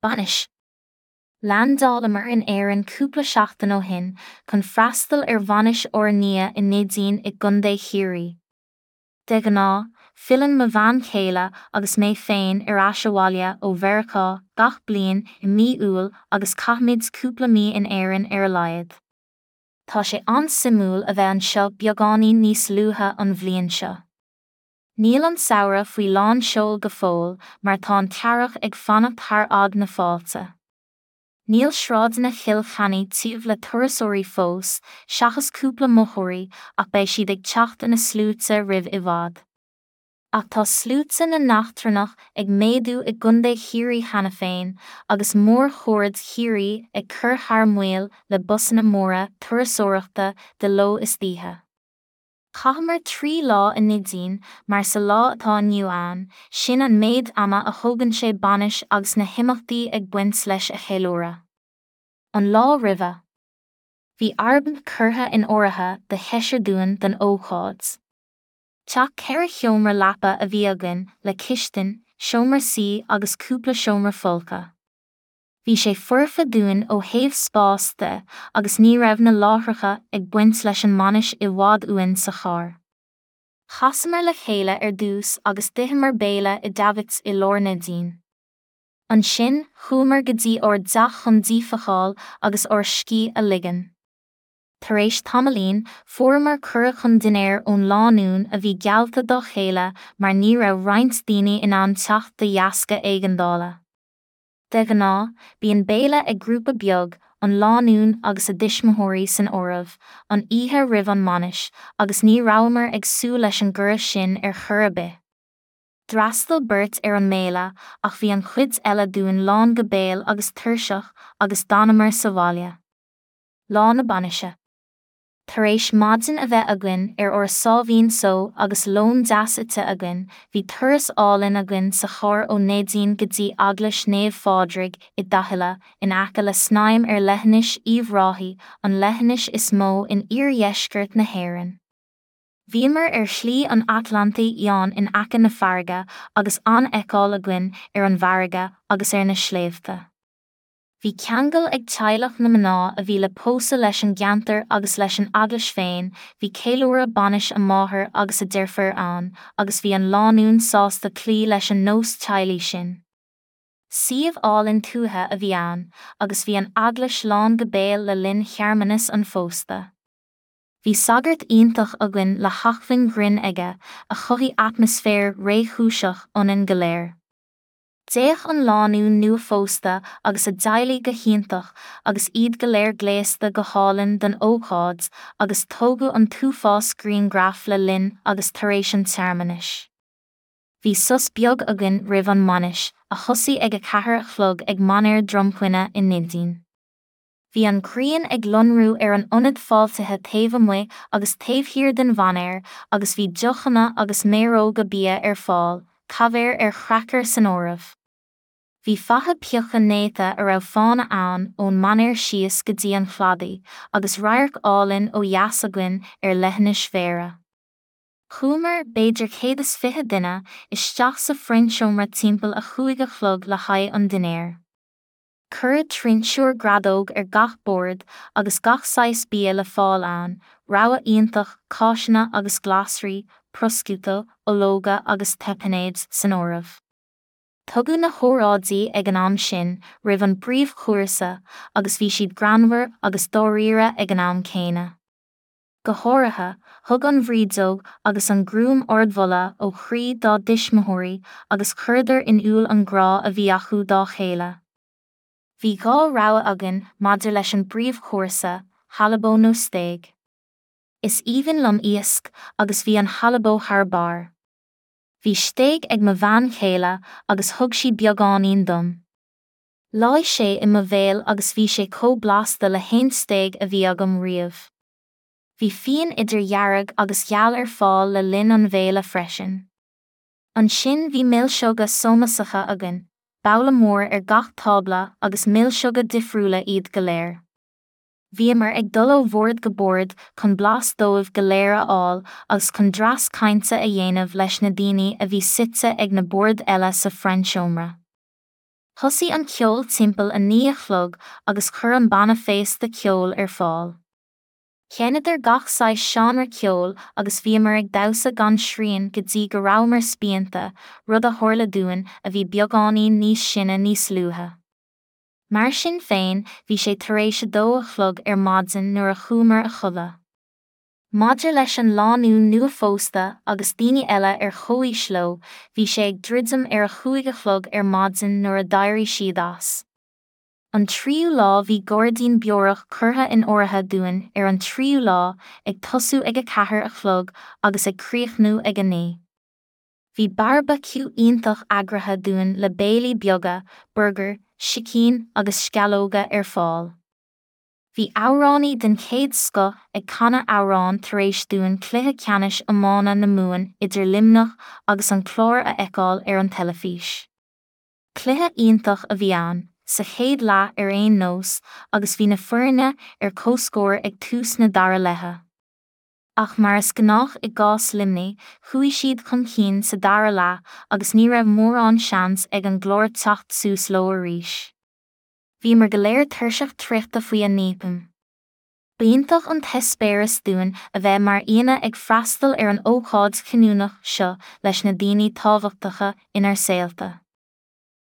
Bainis. Leaindeálamar in Éirinn cúpla seachtain ó shin chun freastal ar bhainis ár nia i Neidín i gContae Chiarraí. De ghnáth, filleann mo bhean chéile agus mé féin ar ais abhaile ó Mheiriceá gach bliain i mí Iúil agus caithimid cúpla mí in Éirinn ar a laghad. Tá sé an-suimiúil a bheith anseo beagáinín níos luaithe an bhliain seo. Níl an samhradh faoi lán seoil go fóill mar tá an t-earrach ag fanacht thar fhad na fáilte. Níl sráideanna Chill Chainnigh tiubh le turasóirí fós, seachas cúpla mochóirí ach beidh siad ag teacht ina sluaite roimh i bhfad. Ach tá sluaite na n-eachtrannach ag méadú i gContae Chiarraí cheana féin agus mórchuaird Chiarraí ag cur thar maoil le busanna móra turasóireachta de ló is d'oíche. Chaitheamar 3 lá i Neidín mar sa lá atá inniu ann, sin an méid ama a thógann sé bainis agus na himeachtaí ag baint leis a cheiliúradh. An lá roimhe. Bhí Airbnb curtha in áirithe do sheisear dúinn don ócáid. Teach 4 sheomra leapa a bhí againn le cistin, seomra suí agus cúpla seomra folctha. Bhí sé foirfe dúinn ó thaobh spáis de agus ní raibh na láithreacha ag baint leis an mbainis i bhfad uainn sa charr. Chasamar le chéile ar dtús agus d'itheamar béile i Davitt's i lár Neidín. Ansin, chuamar go dtí ár dteach chun díphacáil agus ár scíth a ligean. Tar éis tamaillín, fuaireamar cuireadh chun dinnéir ón lánúin a bhí geallta dá chéile mar ní raibh roinnt daoine in ann teacht de dheasca éigeandála. De ghnáth, bíonn béile ag grúpa beag, an lánúin agus a dtuismitheoirí san áireamh, an oíche roimh an mbainis, agus ní rabhamar ag súil leis an gcuireadh sin ar chor ar bith. D'fhreastail beirt ar an mbéile ach bhí an chuid eile dúinn lán go béal agus tuirseach agus d'fhanamar sa bhaile. Lá na bainise. Tar éis maidin a bheith againn ar ár sáimhín só agus lón deas ite againn, bhí turas álainn againn sa charr ó Neidín go dtí Eaglais Naomh Phádraig i dTahilla, in aice le Snaidhm ar leithinis Uíbh Ráthaigh, an leithinis is mó in iardheisceart na hÉireann. Bhíomar ar Shlí an Atlantaigh Fhiáin in aice na farraige agus an-fheiceáil againn ar an bhfarraige agus ar na sléibhte. Bhí ceangal ag teaghlach na mná a bhí le pósadh leis an gceantar agus leis an eaglais féin, bhí ceiliúradh bainis a máthar agus a deirféar ann agus bhí an lánúin sásta cloí leis an nós teaghlaigh sin. Suíomh álainn tuaithe a bhí ann agus bhí an eaglais lán go béal le linn shearmanas an phósta. Bhí sagart iontach againn le hacmhainn ghrinn aige a chothaigh atmaisféar réchúiseach ionainn go léir. D'fhéach an lánúin nuaphósta agus a dteaghlaigh go hiontach agus iad go léir gléasta go hálainn don ócáid agus tógadh an t-uafás grianghraf le linn agus tar éis an tsearmanais. Bhí sos beag againn roimh an mbainis, a thosaigh ag 4 a chlog ag Mainéar Dromquinna i Neidín. Bhí an ghrian ag lonrú ar an ionad fáiltithe taobh amuigh agus taobh thiar den mhainéar agus bhí deochanna agus méaróga bia ar fáil, caibhéar ar chraicir san áireamh. Bhí faiche pioctha néata a raibh fána ann ón mainéar síos go dtí an cladaigh agus radharc álainn ó dheas againn ar leithinis Bhéarra. Chuamar, b'fhéidir 120 duine, isteach sa phroinnseomra timpeall a chúig a chlog le haghaidh an dinnéir. Cuireadh trinsiúr greadóg ar gach bord agus gach saghas bia le fáil ann, rogha iontach cáiseanna agus glasraí, prosciutto, ológa agus tapenades san áireamh. Tugadh na hóráidí ag an am sin roimh an bpríomhchúrsa agus bhí siad greannmhar agus dáiríre ag an am céanna. Go háirithe, thug an bhrídeog agus an groom ardmholadh ó chroí dá dtuismitheoirí agus chuireadar in iúl an grá a bhí acu dá chéile. Bhí dhá rogha againn maidir leis an bpríomhchúrsa, halibó nó stéig. Is aoibhinn liom iasc agus bhí an halibó thar barr. Bhí stéig ag mo bhean chéile agus thug sí beagáinín dom. Leáigh sé i mo bhéal agus bhí sé chomh blasta le haon stéig a bhí agam riamh. Bhí fíon idir dhearg agus gheal ar fáil le linn an bhéile freisin. Ansin bhí milseoga sómasacha againn, babhla mór ar gach tábla agus milseoga difriúla iad go léir. Bhíomar ag dul ó bhord go bord chun blas dóibh go léir a fháil agus chun dreas cainte a dhéanamh leis na daoine a bhí suite ag na boird eile sa phroinnseomra. Thosaigh an ceol timpeall 9 a chlog agus chuir an banna féasta ceol ar fáil. Sheinneadar gach saghas seánra ceoil agus bhíomar ag damhsa gan srian go dtí go rabhamar spíonta, rud a tharla dúinn a bhí beagáinín níos sine níos luaithe. Mar sin féin, bhí sé tar éis 2 a chlog ar maidin nuair a chuamar a chodladh. Maidir leis an lánúin nua-phósta agus daoine eile ar chomhaois leo, bhí sé ag druidim ar a chúig a chlog ar maidin nuair a d'éirigh siad as. An tríú lá bhí gairdín beorach curtha in áirithe dúinn ar an tríú lá, ag tosú ag 4 a chlog agus ag críochnú ag 9. Bhí beárbaiciú iontach eagraithe dúinn le béilí beaga, burgair, sicín agus sceallóga ar fáil. Bhí amhránaí den chéad scoth ag canadh amhrán tar éis dúinn cluiche ceannais iomána na Mumhan idir Luimneach agus an Clár a fheiceáil ar an teilifís. Cluiche iontach a bhí ann, sa chéad leath ar aon nós, agus bhí na foirne ar comhscór ag tús na dara leithe. Ach mar is gnách i gcás Luimnigh, chuaigh siad chun cinn sa dara leath agus ní raibh mórán seans ag an gClár teacht suas leo arís. Bhíomar go léir tuirseach traochta faoi 9 pm. B'iontach an t-eispéireas dúinn a bheith mar aíonna ag freastal ar an ócáid chinniúnach seo leis na daoine tábhachtacha inár saolta.